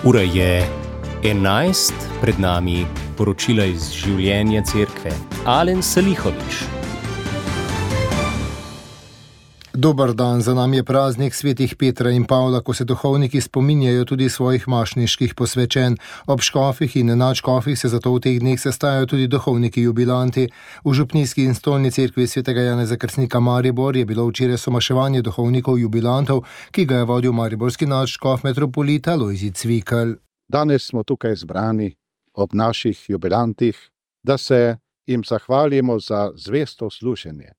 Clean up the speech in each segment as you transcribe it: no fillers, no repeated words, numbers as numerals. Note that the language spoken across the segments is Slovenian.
Ura je 11, pred nami poročila iz življenja cerkve. Alen Salihović. Dober dan, za nami je praznik svetih Petra in Pavla, ko se duhovniki spominjajo tudi svojih mašniških posvečenj. Ob škofih in nadškofih se zato v teh dneh sestajajo tudi duhovniki jubilanti. V župnijski in stolni cerkvi svetega Janeza Krstnika Maribor je bilo včeraj somaševanje duhovnikov jubilantov, ki ga je vodil mariborski nadškof metropolita Lojzij Cvikl. Danes smo tukaj zbrani ob naših jubilantih, da se jim zahvalimo za zvesto služenje.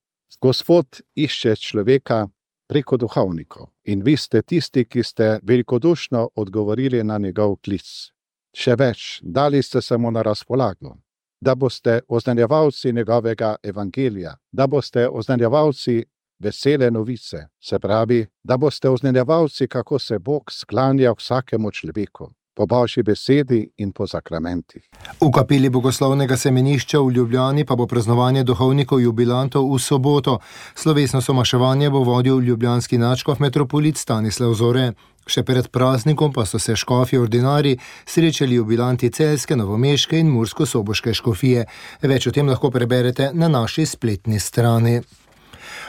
Gospod išče človeka preko duhovnikov in vi ste tisti, ki ste velikodušno odgovorili na njegov klic. Še več, dali ste se mu na razpolago, da boste oznanjevalci njegovega evangelija, da boste oznanjevalci vesele novice, se pravi, da boste oznanjevalci, kako se Bog sklanja vsakemu človeku, po Božji besedi in po sakramentih. V kapeli Bogoslovnega semenišča v Ljubljani pa bo praznovanje duhovnikov jubilantov v soboto. Slovesno somaševanje bo vodil ljubljanski nadškof metropolit Stanislav Zore. Še pred praznikom pa so se škofje ordinarji srečali jubilanti celjske, novomeške in mursko-soboške škofije. Več o tem lahko preberete na naši spletni strani.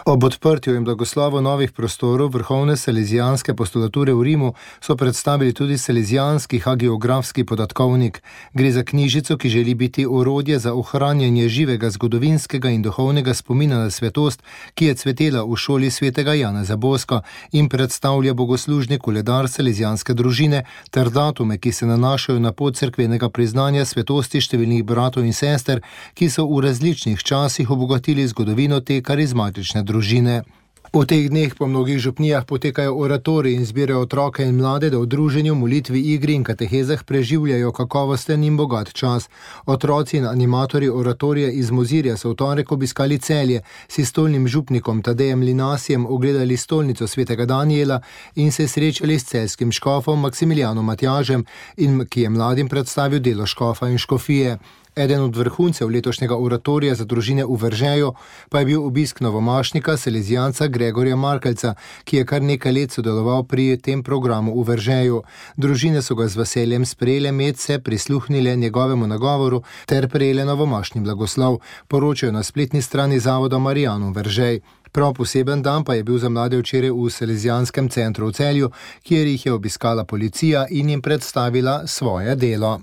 Ob odprtju in blagoslovu novih prostorov vrhovne salezijanske postulature v Rimu so predstavili tudi salezijanski hagiografski podatkovnik. Gre za knjižico, ki želi biti orodje za ohranjanje živega zgodovinskega in duhovnega spomina na svetost, ki je cvetela v šoli svetega Janeza Boska in predstavlja bogoslužni koledar salezijanske družine ter datume, ki se nanašajo na pot cerkvenega priznanja svetosti številnih bratov in sester, ki so v različnih časih obogatili zgodovino te karizmatične družine. V teh dneh po mnogih župnijah potekajo oratoriji in zbirajo otroke in mlade, da v druženju, molitvi, igri in katehezah preživljajo kakovosten in bogat čas. Otroci in animatorji oratorija iz Mozirja so v torek obiskali Celje, si stolnim župnikom Tadejem Linasijem ogledali stolnico svetega Danijela in se srečali s celjskim škofom Maksimilijanom Matjažem, ki je mladim predstavil delo škofa in škofije. Eden od vrhuncev letošnjega oratorija za družine v Veržeju pa je bil obisk novomašnika salezijanca Gregorja Markelca, ki je kar nekaj let sodeloval pri tem programu v Veržeju. Družine so ga z veseljem sprejele medse, prisluhnile njegovemu nagovoru ter prejele novomašni blagoslov, poročajo na spletni strani zavoda Marijanum Veržej. Prav poseben dan pa je bil za mlade včeraj v Salezijanskem centru v Celju, kjer jih je obiskala policija in jim predstavila svoje delo.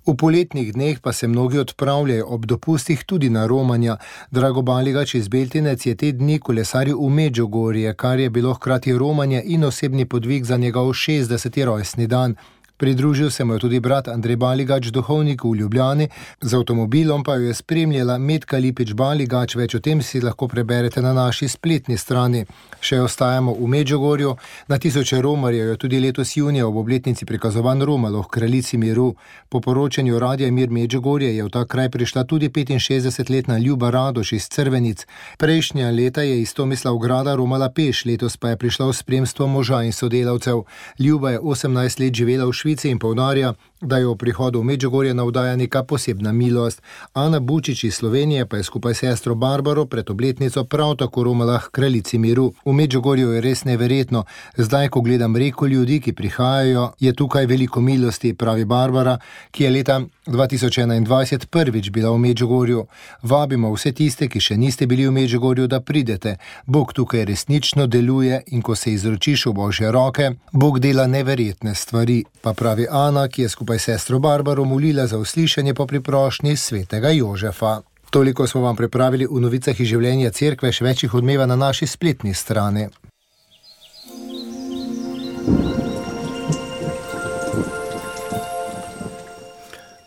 V poletnih dneh pa se mnogi odpravljajo ob dopustih tudi na romanja. Drago Baligač iz Beltinec je te dni kolesaril v Medžugorje, kar je bilo hkrati romanje in osebni podvig za njegov 60. rojstni dan. Pridružil se mu je tudi brat Andrej Baligač, duhovnik v Ljubljani, z avtomobilom pa jo je spremljala Metka Lipič Baligač. Več o tem si lahko preberete na naši spletni strani. Še ostajamo v Medžugorju. Na tisoče romarjev je tudi letos junija ob obletnici prikazovan romalo v Kraljici miru. Po poročanju Radia Mir Medžugorje je v ta kraj prišla tudi 65-letna Ljuba Radoš iz Crvenic. Prejšnja leta je iz Tomislavgrada romala peš, letos pa je prišla v spremstvo moža in sodelavcev. Ljuba je 18 let živela v Švici in poudarja, da jo v prihodu v Medžugorje navdaja neka posebna milost. Ana Bučič iz Slovenije pa je skupaj s sestro Barbaro pred obletnico prav tako romala k Kraljici miru. V Medžugorju je res neverjetno. Zdaj, ko gledam reko ljudi, ki prihajajo, je tukaj veliko milosti, pravi Barbara, ki je leta 2021 prvič bila v Medžugorju. Vabimo vse tiste, ki še niste bili v Medžugorju, da pridete. Bog tukaj resnično deluje in ko se izročiš v Božje roke, Bog dela neverjetne stvari, pa pravi Ana, ki je skupaj s sestro Barbaro molila za uslišanje po priprošnji svetega Jožefa. Toliko smo vam pripravili v novicah iz življenja cerkve, še več jih odmeva na naši spletni strani.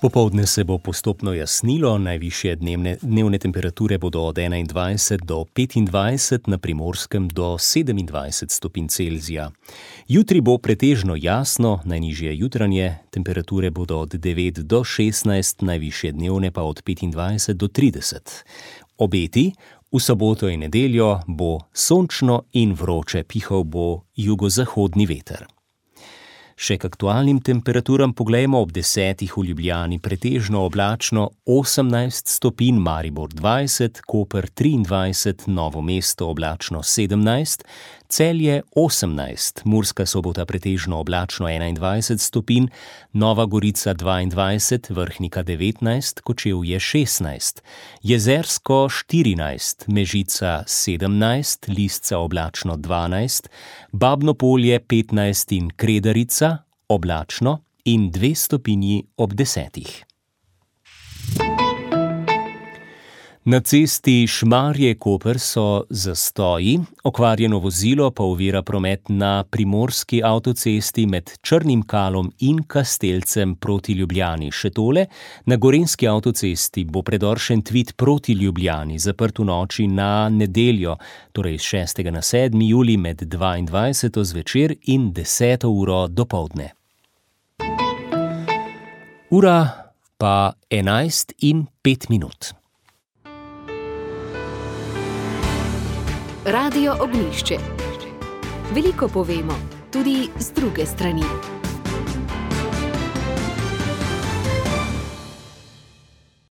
Popoldne se bo postopno jasnilo, najvišje dnevne temperature bodo od 21 do 25, na Primorskem do 27 stopinj Celzija. Jutri bo pretežno jasno, najnižje jutranje temperature bodo od 9 do 16, najvišje dnevne pa od 25 do 30. Obeti: v soboto in nedeljo bo sončno in vroče, pihal bo jugozahodni veter. Še k aktualnim temperaturam poglejmo. Ob 10 v Ljubljani pretežno oblačno 18 stopinj, Maribor 20, Koper 23, Novo mesto oblačno 17, Celje 18, Murska Sobota pretežno oblačno 21 stopinj, Nova Gorica 22, Vrhnika 19, Kočevje 16, Jezersko 14, Mežica 17, Lisca oblačno 12, Babno Polje 15 in Kredarica oblačno in 2 stopinji ob 10. Na cesti Šmarje-Koper so zastoji, okvarjeno vozilo pa ovira promet na primorski avtocesti med Črnim Kalom in Kastelcem proti Ljubljani. Še tole, na gorenjski avtocesti bo predor Šentvid proti Ljubljani zaprt v noči na nedeljo, torej 6. na 7. julij med 22. zvečer in 10. uro dopoldne. Ura pa 11:05. Radio Ognjišče. Veliko povemo, tudi z druge strani.